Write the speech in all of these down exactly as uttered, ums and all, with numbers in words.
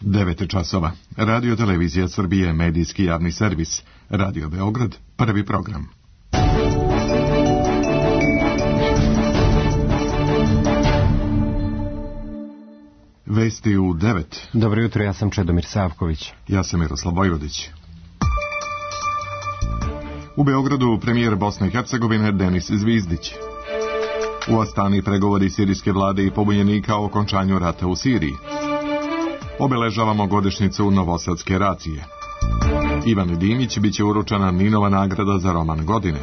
devet časova. Radio Televizija Srbije, medijski javni servis. Radio Beograd, prvi program. Vesti u devet. Dobro jutro, ja sam Čedomir Savković. Ja sam Miroslav Vojvodić. U Beogradu premijer Bosne i Hercegovine Denis Zvizdić. U Astani pregovori sirijske vlade i pobunjenika o okončanju rata u Siriji. Obeležavamo godišnjicu Novosadske racije. Ivan Dimić biće uručena Ninova nagrada za roman godine.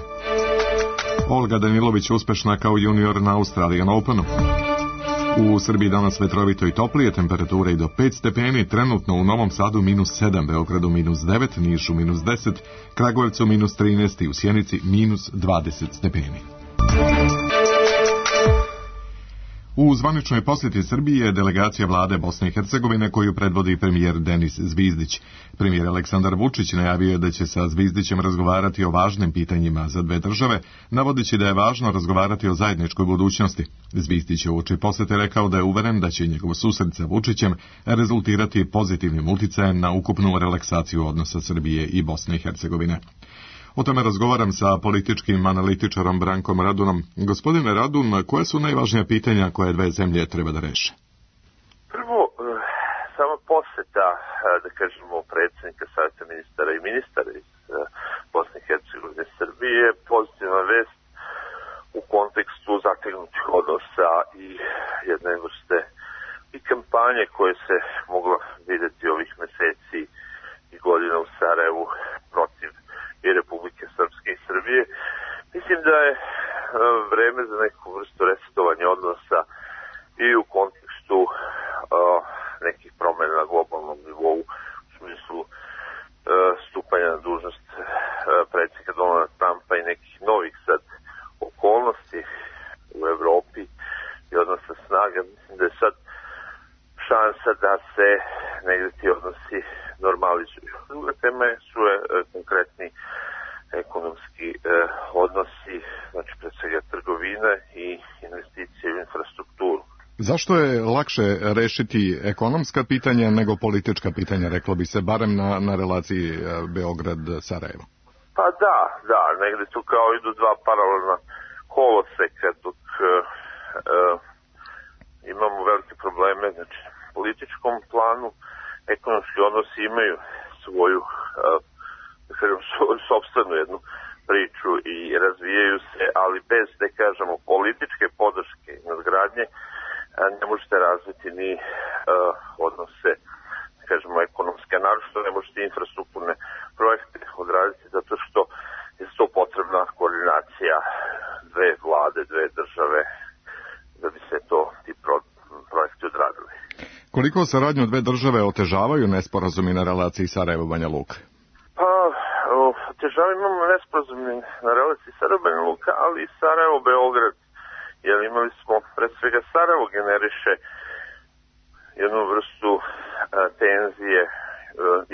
Olga Danilović uspešna kao junior na Australian Openu. U Srbiji danas vetrovito i toplije, temperature i do pet stepeni, trenutno u Novom Sadu minus sedam, Beogradu minus devet, Nišu minus deset, Kragujevcu minus trinaest i u Sjenici minus dvadeset stepeni. U zvaničnoj posjeti Srbije je delegacija vlade Bosne i Hercegovine koju predvodi premijer Denis Zvizdić. Premijer Aleksandar Vučić najavio je da će sa Zvizdićem razgovarati o važnim pitanjima za dve države, navodeći da je važno razgovarati o zajedničkoj budućnosti. Zvizdić je uoči posjete rekao da je uveren da će njegov susret sa Vučićem rezultirati pozitivnim uticajem na ukupnu relaksaciju odnosa Srbije i Bosne i Hercegovine. O tome razgovaram sa političkim analitičarom Brankom Radunom. Gospodine Radun, koje su najvažnija pitanja koje dve zemlje treba da reše? Prvo, sama poseta, da kažemo, predsjednika Savjeta ministara i ministara iz Bosne i Hercegovine i Srbije, pozitivna vest u kontekstu zategnutih odnosa i jedne vrste i kampanje koje se moglo vidjeti ovih meseci i godina u Sarajevu protiv i Republike Srpske i Srbije. Mislim da je vreme za neku vrstu resetovanja odnosa i u kontekstu uh, nekih promjena na globalnom nivou u smislu uh, stupanja na dužnost uh, predsjednika Donalda Trumpa i nekih novih sad okolnosti u Evropi i odnosa snaga. Mislim da je sad šansa da se negdje ti odnosi normalizuju. Druga tema su je, e, konkretni ekonomski e, odnosi, znači pred svega trgovine i investicije u infrastrukturu. Zašto je lakše rešiti ekonomska pitanja nego politička pitanja, reklo bi se, barem na, na relaciji e, Beograd-Sarajevo? Pa da, da, negdje tu kao idu dva paralelna koloseka, dok e, e, imamo velike probleme, znači na političkom planu, ekonomski odnosi imaju svoju, da kažem, svoju sopstvenu jednu priču i razvijaju se, ali bez, da kažemo, političke podrške i nadgradnje ne možete razviti ni uh, odnose, da kažemo, ekonomske, a naročito ne možete infrastrukturne projekte odraditi zato što je to potrebna koordinacija dve vlade, dve države da bi se to ti pro, projekti odradili. Koliko saradnju dve države otežavaju nesporazumi na relaciji Sarajevo-Banja Luka? Pa, otežavaju imamo nesporazumi na relaciji Sarajevo-Banja Luka, ali i Sarajevo-Beograd. Jer imali smo, pred svega, Sarajevo generiše jednu vrstu a, tenzije a,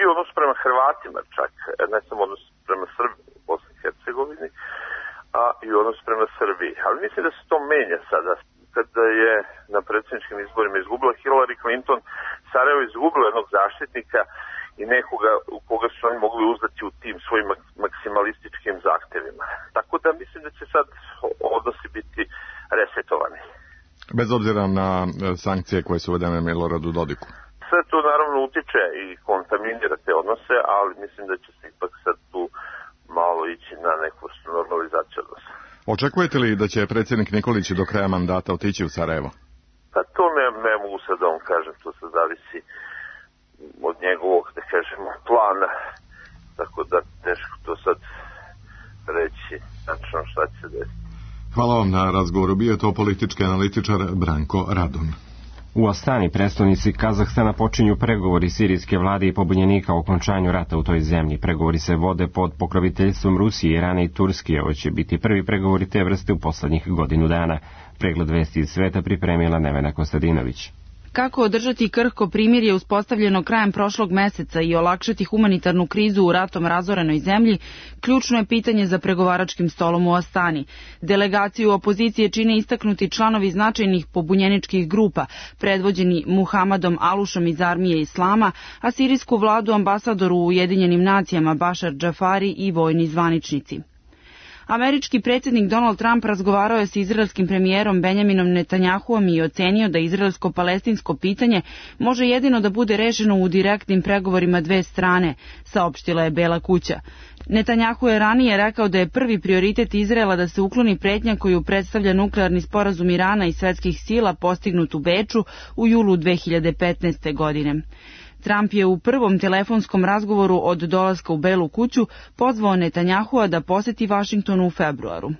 i odnos prema Hrvatima čak, ne samo odnos prema Srbiji u Bosni i Hercegovini, a i odnos prema Srbiji. Ali mislim da se to menja sada. Kada je na predsjedničkim izborima izgubila Hillary Clinton, Sarajevo izgubilo jednog zaštitnika i nekoga u koga su oni mogli uzdati u tim svojim maksimalističkim zahtjevima. Tako da mislim da će sad odnosi biti resetovani. Bez obzira na sankcije koje su uvedene Miloradu Dodiku. Sve to naravno utiče i kontaminira te odnose, ali mislim da će se ipak sad tu malo ići na neku normalizaciju odnosa. Očekujete li da će predsjednik Nikolić do kraja mandata otići u Sarajevo? Pa to ne, ne mogu sad da vam kažem, to se zavisi od njegovog, da kažemo, plana, tako da teško to sad reći, znači šta će se desiti. Hvala vam na razgovoru, bio je to politički analitičar Branko Radun. U Astani, prestonici Kazahstana, počinju pregovori sirijske vlade i pobunjenika o okončanju rata u toj zemlji. Pregovori se vode pod pokroviteljstvom Rusije, Irana i Turske. Ovo će biti prvi pregovori te vrste u poslednjih godinu dana. Pregled vesti iz sveta pripremila Nevena Kostadinović. Kako održati krhko primirje uspostavljeno krajem prošlog meseca i olakšati humanitarnu krizu u ratom razorenoj zemlji, ključno je pitanje za pregovaračkim stolom u Astani. Delegaciju opozicije čine istaknuti članovi značajnih pobunjeničkih grupa, predvođeni Muhamadom Alušom iz armije Islama, a sirijsku vladu ambasadoru u Ujedinjenim nacijama Bašar Džafari i vojni zvaničnici. Američki predsjednik Donald Trump razgovarao je s izraelskim premijerom Benjaminom Netanjahuom i ocenio da izraelsko-palestinsko pitanje može jedino da bude rešeno u direktnim pregovorima dve strane, saopštila je Bela kuća. Netanjahu je ranije rekao da je prvi prioritet Izraela da se ukloni pretnja koju predstavlja nuklearni sporazum Irana i svetskih sila postignut u Beču u julu dve hiljade petnaeste. godine. Trump je u prvom telefonskom razgovoru od dolaska u Belu kuću pozvao Netanjahua da poseti Vašington u februaru.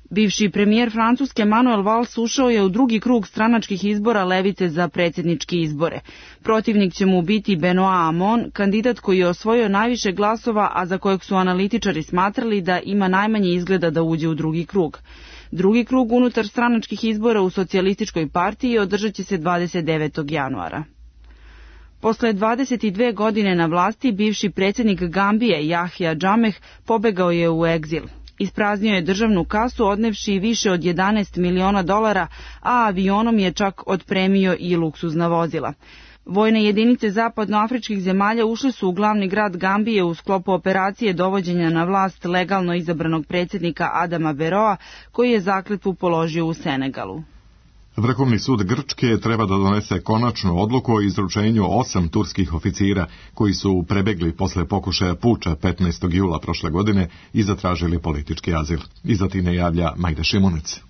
Bivši premijer Francuske Manuel Valls ušao je u drugi krug stranačkih izbora levice za predsjedničke izbore. Protivnik će mu biti Benoit Hamon, kandidat koji je osvojio najviše glasova, a za kojeg su analitičari smatrali da ima najmanje izgleda da uđe u drugi krug. Drugi krug unutar stranačkih izbora u socijalističkoj partiji održat će se dvadeset devetog januara. Posle dvadeset dve godine na vlasti, bivši predsjednik Gambije Jahja Džameh pobegao je u egzil. Ispraznio je državnu kasu odnevši više od jedanaest miliona dolara, a avionom je čak otpremio i luksuzna vozila. Vojne jedinice zapadnoafričkih zemalja ušle su u glavni grad Gambije u sklopu operacije dovođenja na vlast legalno izabranog predsjednika Adama Beroa, koji je zakletvu položio u Senegalu. Vrhovni sud Grčke treba da donese konačnu odluku o izručenju osam turskih oficira koji su prebegli posle pokušaja puča petnaestog jula prošle godine i zatražili politički azil. Iz Atine javlja Majda Šimunec.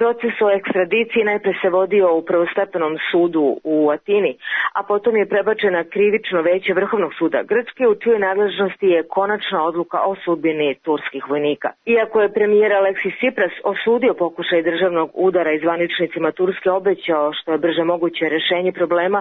Proces o ekstradiciji najpre se vodio u prvostepenom sudu u Atini, a potom je prebačena krivično veće Vrhovnog suda Grčke, u čijoj nadležnosti je konačna odluka o sudbini turskih vojnika. Iako je premijer Aleksis Tsipras osudio pokušaj državnog udara i zvaničnicima Turske obećao što je brže moguće rešenje problema,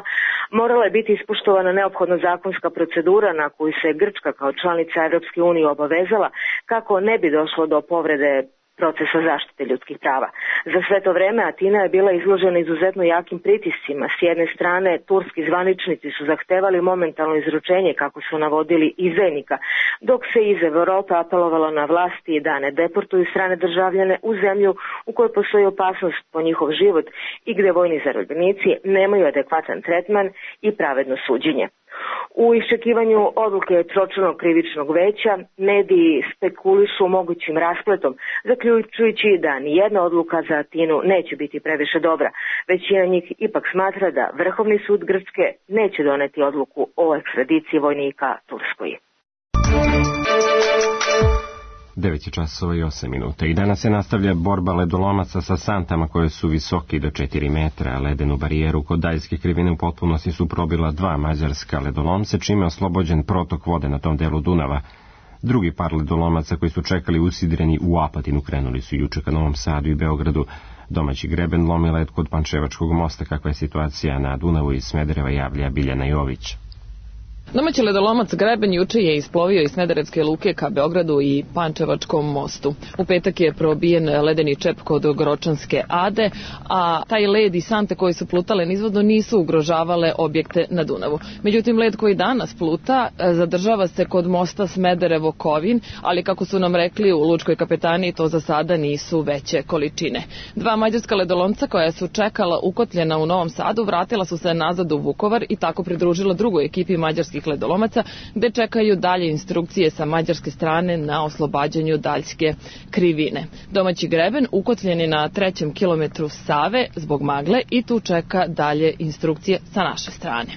morala je biti ispoštovana neophodna zakonska procedura na koju se Grčka kao članica Evropske unije obavezala kako ne bi došlo do povrede procesa zaštite ljudskih prava. Za sve to vreme Atina je bila izložena izuzetno jakim pritiscima. S jedne strane, turski zvaničnici su zahtevali momentalno izručenje, kako su navodili, izdajnika, dok se iz Evrope apelovalo na vlasti da ne deportuju strane državljane u zemlju u kojoj postoji opasnost po njihov život i gde vojni zarobljenici nemaju adekvatan tretman i pravedno suđenje. U iščekivanju odluke tročlanog krivičnog veća, mediji spekulišu mogućim raspletom, zaključujući da nijedna odluka za Atinu neće biti previše dobra. Većina njih ipak smatra da Vrhovni sud Grčke neće doneti odluku o ekstradiciji vojnika Turskoj. devet je časova i osam minuta i danas se nastavlja borba ledolomaca sa santama koje su visoki do četiri metra. Ledenu barijeru kod Daljske krivine u potpunosti su probila dva mađarska ledolomca, čime je oslobođen protok vode na tom delu Dunava. Drugi par ledolomaca koji su čekali usidreni u Apatinu krenuli su juče ka Novom Sadu i Beogradu. Domaći greben lomi led kod Pančevačkog mosta. Kakva je situacija na Dunavu iz Smedereva, javlja Biljana Jović. Domaći ledolomac Greben juče je isplovio iz Smederevske luke ka Beogradu i Pančevačkom mostu. U petak je probijen ledeni čep kod Gročanske Ade, a taj led i sante koji su plutale nizvodno nisu ugrožavale objekte na Dunavu. Međutim, led koji danas pluta zadržava se kod mosta Smederevo-Kovin, ali kako su nam rekli u lučkoj kapetaniji, to za sada nisu veće količine. Dva mađarska ledolomca koja su čekala ukotljena u Novom Sadu vratila su se nazad u Vukovar i tako pridružila drugoj ekipi mađarskih ledolomaca, gde čekaju dalje instrukcije sa mađarske strane na oslobađanju Daljske krivine. Domaći greben ukotljen je na trećem kilometru Save zbog magle i tu čeka dalje instrukcije sa naše strane.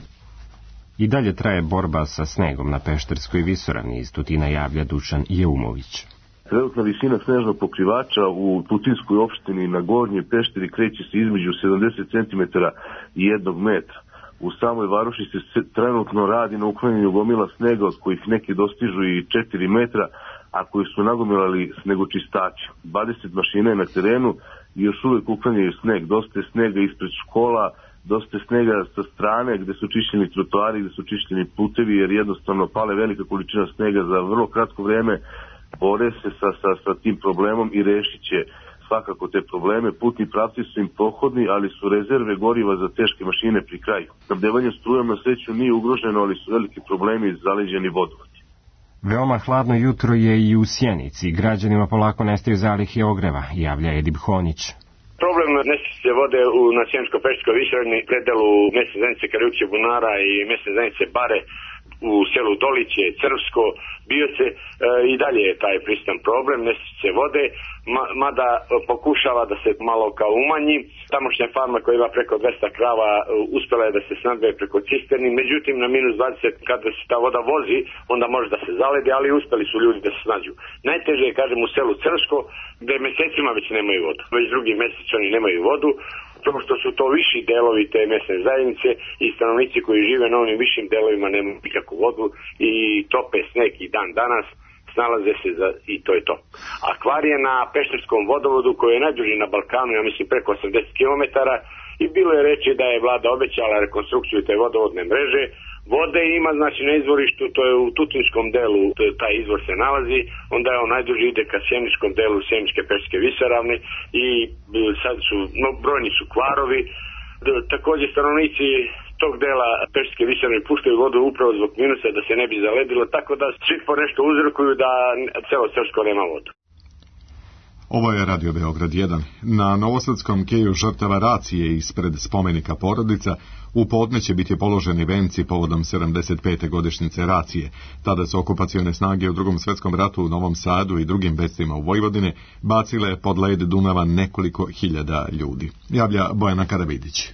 I dalje traje borba sa snegom na Pešterskoj visoravni. Iz Tutina javlja Dušan Jeumović. Trenutna visina snežnog pokrivača u Tutinskoj opštini na Gornjoj Pešteri kreće se između sedamdeset centimetara i jednog metra. U samoj varoši se trenutno radi na uklanjanju gomila snega, od kojih neki dostižu i četiri metra, a koji su nagomilali snegočistači. dvadeset mašina je na terenu i još uvek uklanjaju sneg. Dosta je snega ispred škola, dosta je snega sa strane gde su čišćeni trotoari, gde su čišćeni putevi, jer jednostavno pale velika količina snega za vrlo kratko vreme. Bore se sa, sa, sa tim problemom i rešit će svakako te probleme. Putni pravci su im prohodni, ali su rezerve goriva za teške mašine pri kraju. Snabdevanje strujom na sreću nije ugroženo, ali su veliki problemi iz zaleđeni vodovodi. Veoma hladno jutro je i u Sjenici. Građanima polako nestaju zalihe ogreva, javlja Edip Honjić. Problem nestašice vode u na Sjeničko-Pešterskoj visoravni predelu mesne zajednice Karajuće Bunara i mesne zajednice Bare u selu Doliće, Crvsko, Bioce, e, i dalje je taj prisutan problem nestašice vode, ma, mada pokušava da se malo kao umanji. Tamošnja farma koja ima preko dvesta krava uspela je da se snabdeje preko cisterni, međutim na minus dvadeset kada se ta voda vozi, onda može da se zaledi, ali uspeli su ljudi da se snađu. Najteže je, kažem, u selu Crvsko, gde mesecima već nemaju vodu. Već drugi mesec oni nemaju vodu, to što su to viši delovi te mesne zajednice i stanovnici koji žive na onim višim delovima nemaju nikakvu vodu i tope sneg i dan danas, snalaze se za, i to je to. A kvar je na Pešterskom vodovodu koji je najduži na Balkanu, ja mislim preko osamdeset kilometara, i bilo je reći da je vlada obećala rekonstrukciju te vodovodne mreže. Vode ima, znači, na izvorištu, to je u Tutinskom delu, taj izvor se nalazi, onda je on najduži ide ka sjeničkom delu Sjeničke Pešterske visoravni i sad su, no, brojni su kvarovi. Također stanovnici tog dela Pešterske visoravne puštaju vodu upravo zbog minusa da se ne bi zaledilo, tako da svi po nešto uzrokuju da celo Crvsko nema vodu. Ovo je Radio Beograd jedan. Na Novosadskom keju žrtava racije ispred spomenika Porodica u podne će biti položeni venci povodom sedamdeset pete godišnjice racije. Tada su okupacione snage u Drugom svjetskom ratu u Novom Sadu i drugim mestima u Vojvodine bacile pod led Dunava nekoliko hiljada ljudi. Javlja Bojana Karavidić.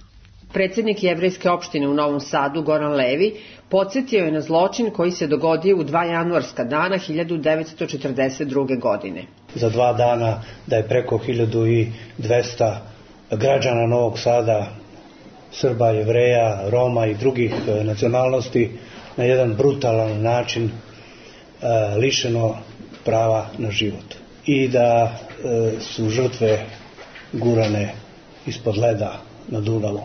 Predsjednik jevrejske opštine u Novom Sadu, Goran Levi, podsjetio je na zločin koji se dogodio u dva januarska dana hiljadu devetsto četrdeset druge. godine. Za dva dana da je preko hiljadu dvesta građana Novog Sada, Srba, Jevreja, Roma i drugih nacionalnosti na jedan brutalan način e, lišeno prava na život. I da e, su žrtve gurane ispod leda na Dunavu.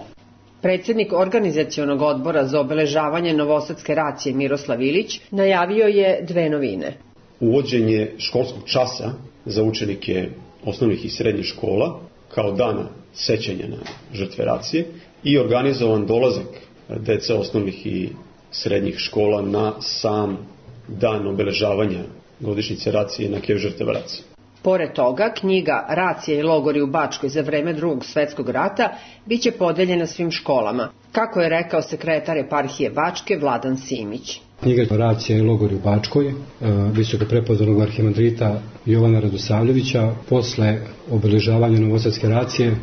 Predsjednik organizacionog odbora za obeležavanje Novosadske racije Miroslav Ilić najavio je dve novine. Uvođenje školskog časa za učenike osnovnih i srednjih škola kao dana sećanja na žrtve racije i organizovan dolazak dece osnovnih i srednjih škola na sam dan obeležavanja godišnjice racije na keju žrtava racije. Pored toga, knjiga Racije i logori u Bačkoj za vreme Drugog svjetskog rata biće podeljena svim školama, kako je rekao sekretar eparhije Bačke Vladan Simić. Knjiga Racije i logori u Bačkoj, visoko prepodobnog arhimandrita Jovana Radosavljevića, posle obeležavanja Novosadske racije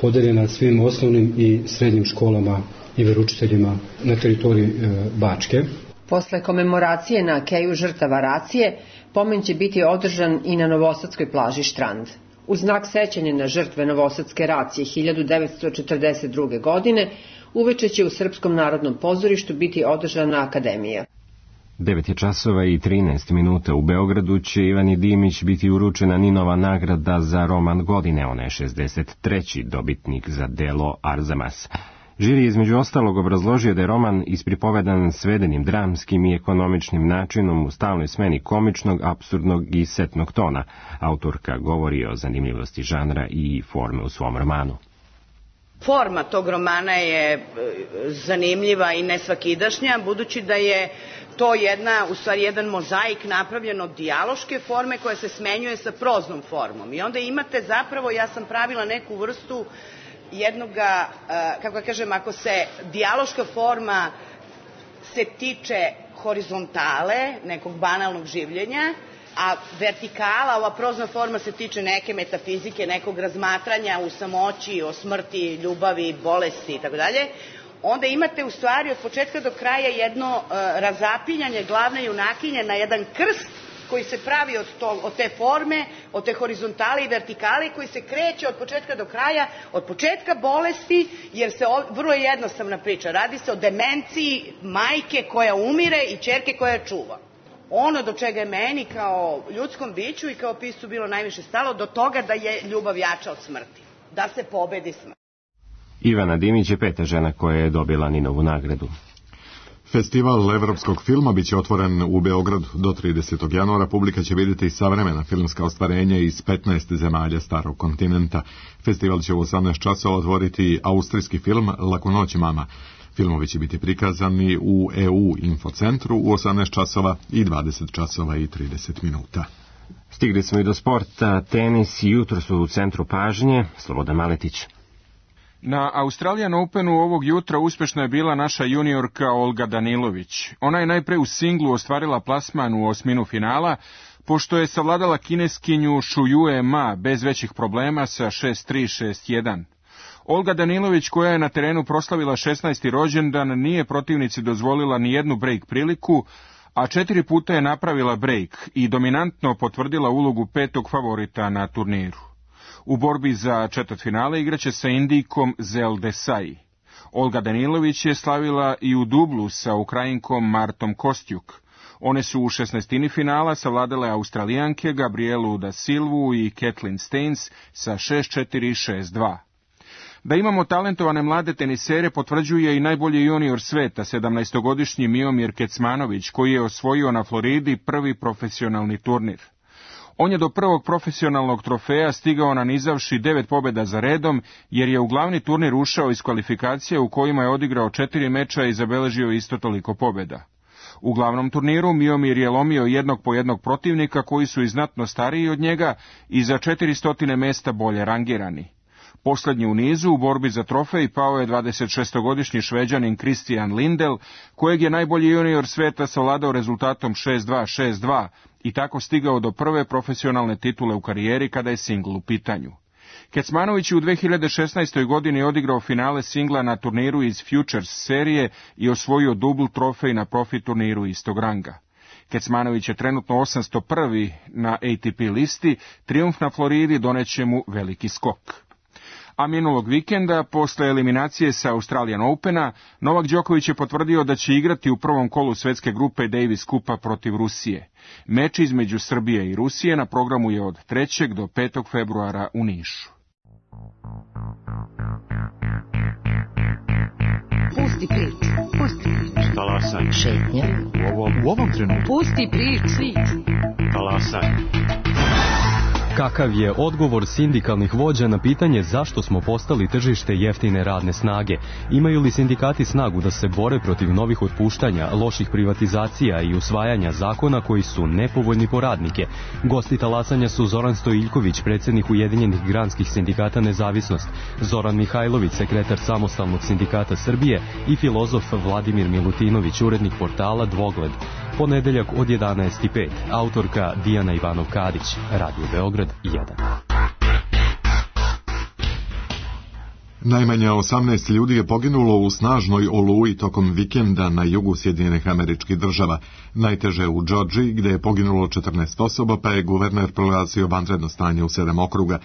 podeljena svim osnovnim i srednjim školama i veroučiteljima na teritoriji Bačke. Posle komemoracije na keju žrtava racije, pomen će biti održan i na Novosadskoj plaži Štrand. U znak sećanja na žrtve Novosadske racije hiljadu devetsto četrdeset druge. godine, uveče će u Srpskom narodnom pozorištu biti održana akademija. devet je časova i trinaest minuta. U Beogradu će Ivani Dimić biti uručena Ninova nagrada za roman godine. Ona je šezdeset treći dobitnik za delo Arzamas. Žiri između ostalog obrazložio da je roman ispripovedan svedenim dramskim i ekonomičnim načinom u stalnoj smeni komičnog, apsurdnog i setnog tona. Autorka govori o zanimljivosti žanra i forme u svom romanu. Forma tog romana je zanimljiva i nesvakidašnja, budući da je to jedna, u stvari jedan mozaik napravljen od dijaloške forme koja se smenjuje sa proznom formom. I onda imate zapravo, ja sam pravila neku vrstu jednoga, kako kažem, ako se dijaloška forma se tiče horizontale, nekog banalnog življenja, a vertikala, ova prozna forma se tiče neke metafizike, nekog razmatranja u samoći, o smrti, ljubavi, bolesti i tako dalje, onda imate u stvari od početka do kraja jedno uh, razapinjanje glavne junakinje na jedan krst koji se pravi od, to, od te forme, od te horizontale i vertikale, koji se kreće od početka do kraja, od početka bolesti, jer se ov, vrlo je jednostavna priča, radi se o demenciji majke koja umire i ćerke koja čuva. Ono do čega je meni kao ljudskom biću i kao piscu bilo najviše stalo, do toga da je ljubav jača od smrti, da se pobedi smrt. Ivana Dimić je peta žena koja je dobila Ninovu nagradu. Festival evropskog filma biće otvoren u Beogradu do tridesetog januara. Publika će vidjeti savremena filmska ostvarenja iz petnaest zemalja starog kontinenta. Festival će u osamnaest časova otvoriti austrijski film Laku noć mama. Filmovi će biti prikazani u E U infocentru u osamnaest časova i dvadeset časova i trideset minuta. Stigli smo i do sporta. Tenis jutro su u centru pažnje. Slobodan Maletić. Na Australian Openu ovog jutra uspješna je bila naša juniorka Olga Danilović. Ona je najpre u singlu ostvarila plasman u osminu finala, pošto je savladala kineskinju Shuyue Ma bez većih problema sa šest tri šest jedan. Olga Danilović, koja je na terenu proslavila šesnaesti rođendan, nije protivnici dozvolila ni jednu break priliku, a četiri puta je napravila break i dominantno potvrdila ulogu petog favorita na turniru. U borbi za četvrtfinale igraće sa Indijkom Zel Desai. Olga Danilović je slavila i u dublu sa Ukrajinkom Martom Kostjuk. One su u šesnaestini finala savladale Australijanke Gabrielu da Silvu i Kathleen Staines sa šest četiri šest dva. Da imamo talentovane mlade tenisere potvrđuje i najbolji junior sveta, sedamnaestogodišnji Miomir Kecmanović, koji je osvojio na Floridi prvi profesionalni turnir. On je do prvog profesionalnog trofeja stigao nanizavši devet pobjeda za redom, jer je u glavni turnir ušao iz kvalifikacije u kojima je odigrao četiri meča i zabeležio isto toliko pobjeda. U glavnom turniru Miomir je lomio jednog po jednog protivnika koji su i znatno stariji od njega i za četiristo mesta bolje rangirani. Posljednji u nizu u borbi za trofej pao je dvadesetšestogodišnji Šveđanin Christian Lindell, kojeg je najbolji junior sveta savladao rezultatom šest dva šest dva i tako stigao do prve profesionalne titule u karijeri kada je singl u pitanju. Kecmanović je u dve hiljade šesnaestoj. godini odigrao finale singla na turniru iz Futures serije i osvojio dubl trofej na profi turniru istog ranga. Kecmanović je trenutno osamsto prvi na A T P listi, trijumf na Floridi doneće mu veliki skok. A minulog vikenda, posle eliminacije sa Australian Opena, Novak Đoković je potvrdio da će igrati u prvom kolu svetske grupe Davis Kupa protiv Rusije. Meč između Srbije i Rusije na programu je od trećeg do petog februara u Nišu. Pusti priču, pusti priču. Talasaj. Šetnja. U ovom, u ovom trenutku. Pusti priču. Talasaj. Kakav je odgovor sindikalnih vođa na pitanje zašto smo postali tržište jeftine radne snage? Imaju li sindikati snagu da se bore protiv novih otpuštanja, loših privatizacija i usvajanja zakona koji su nepovoljni po radnike? Gosti talasanja su Zoran Stojiljković, predsjednik Ujedinjenih granskih sindikata Nezavisnost, Zoran Mihajlović, sekretar Samostalnog sindikata Srbije i filozof Vladimir Milutinović, urednik portala Dvogled. Ponedeljak od jedanaest i pet, autorka Dijana Ivanov-Kadić, Radio Beograd jedan. Najmanje osamnaest ljudi je poginulo u snažnoj oluji tokom vikenda na jugu Sjedinjenih Američkih Država. Najteže u Džordžiji, gde je poginulo četrnaest osoba, pa je guverner proglasio vanredno stanje u sedam okruga.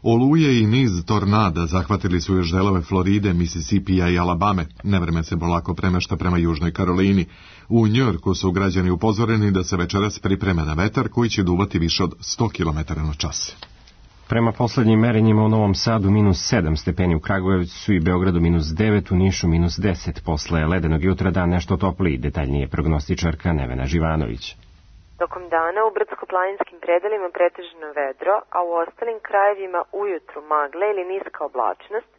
Oluje i niz tornada zahvatili su još delove Floride, Misisipija i Alabame. Nevreme se polako premešta prema Južnoj Karolini. U Njujorku su građani upozoreni da se večeras pripreme na vetar koji će duvati više od sto kilometara na čas. Prema poslednjim merenjima u Novom Sadu minus sedam stepeni, u Kragujevcu i Beogradu minus devet, u Nišu minus deset. Posle ledenog jutra dan nešto topliji, detaljnije prognostičarka Nevena Živanović. Tokom dana u brdsko-planinskim predelima pretežno vedro, a u ostalim krajevima ujutru magle ili niska oblačnost,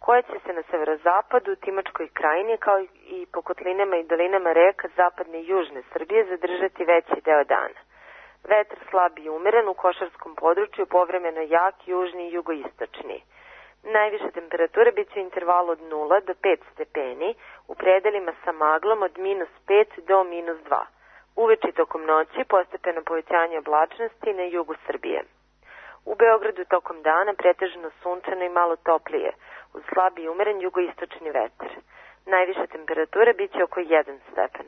koja će se na severozapadu, Timočkoj krajini, kao i po kotlinama i dolinama reka zapadne i južne Srbije zadržati veći deo dana. Vetar slab i umeren u košarskom području, povremeno jak južni i jugoistočni. Najviša temperatura bit će u intervalu od nula do pet stepeni, u predelima sa maglom od minus pet do minus dva. Uveče tokom noći postepeno povećanje oblačnosti na jugu Srbije. U Beogradu tokom dana pretežno sunčano i malo toplije, uz slab i umeren jugoistočni vetar. Najviša temperatura bit će oko jedan stepen.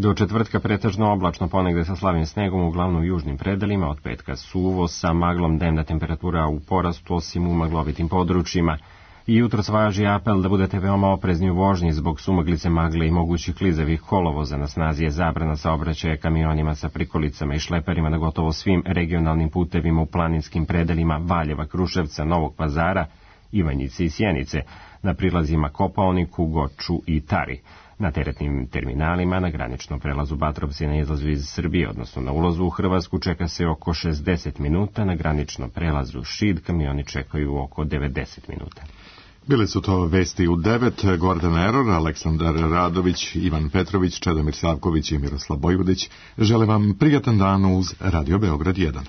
Do četvrtka pretežno oblačno, ponegde sa slabim snegom, uglavnom u južnim predelima, od petka suvo, sa maglom, dnevna temperatura u porastu, osim u maglovitim područjima. I jutros važi apel da budete veoma oprezni u vožnji zbog sumaglice, magle i mogućih klizavih kolovoza. Na snazi je zabrana saobraćaja kamionima sa prikolicama i šleperima na gotovo svim regionalnim putevima u planinskim predelima Valjeva, Kruševca, Novog Pazara Ivanjice i Sjenice, na prilazima Kopaoniku, Goču i Tari. Na teretnim terminalima na graničnom prelazu Batrovci na izlazu iz Srbije, odnosno na ulazu u Hrvatsku, čeka se oko šezdeset minuta, na graničnom prelazu Šid kamioni čekaju oko devedeset minuta. Bili su to vesti u devet, Gordon Eror, Aleksandar Radović, Ivan Petrović, Čedomir Savković i Miroslav Bojvodić. Želim vam prijatan dan uz Radio Beograd jedan.